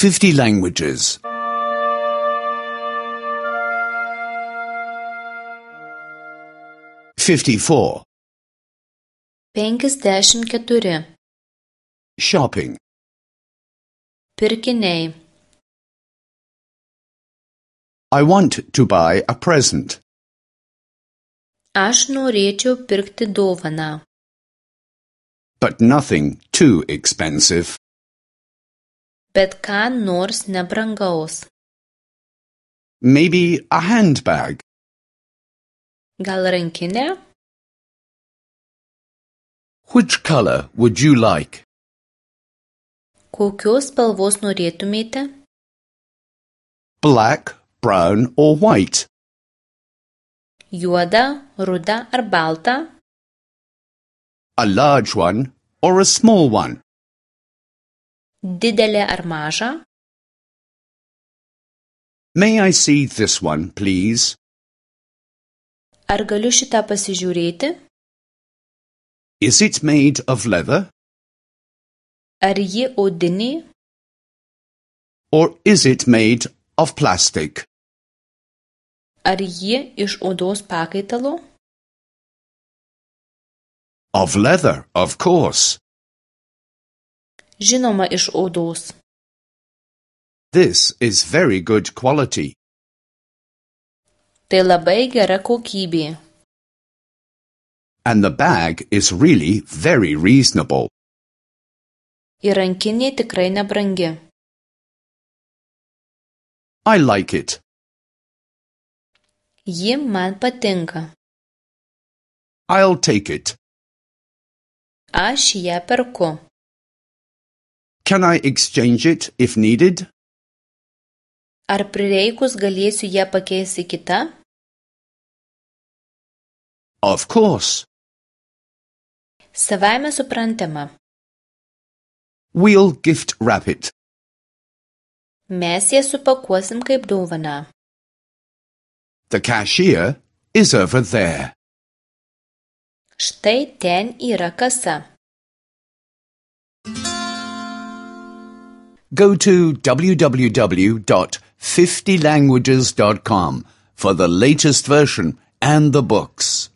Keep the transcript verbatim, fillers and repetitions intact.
fifty languages. fifty-four. Penkiasdešimt keturi. Shopping. Pirkiniai. I want to buy a present. Aš norėčiau pirkti dovaną. But nothing too expensive. Bet ką nors nebrangaus. Maybe a handbag. Gal rankinė? Which color would you like? Kokios spalvos norėtumėte? Black, brown or white? Juoda, ruda ar balta? A large one or a small one? Didelė ar maža? May I see this one, please? Ar galiu šitą pasižiūrėti? Is it made of leather? Ar ji odinė? Or is it made of plastic? Ar ji iš odos pakaitalo? Of leather, of course. Žinoma, iš odos. This is very good quality. Tai labai gera kokybė. And the bag is really very reasonable. Ir rankinė tikrai nebrangi. I like it. Ji man patinka. I'll take it. Aš ją perku. Can I exchange it if needed? Ar prireikus galėsiu ją pakeisti kitą? Of course. Savaime suprantama. We'll gift wrap it. Mes ją supakuosim kaip dovaną. The cashier is over there. Štai ten yra kasa. Go to w w w dot fifty languages dot com for the latest version and the books.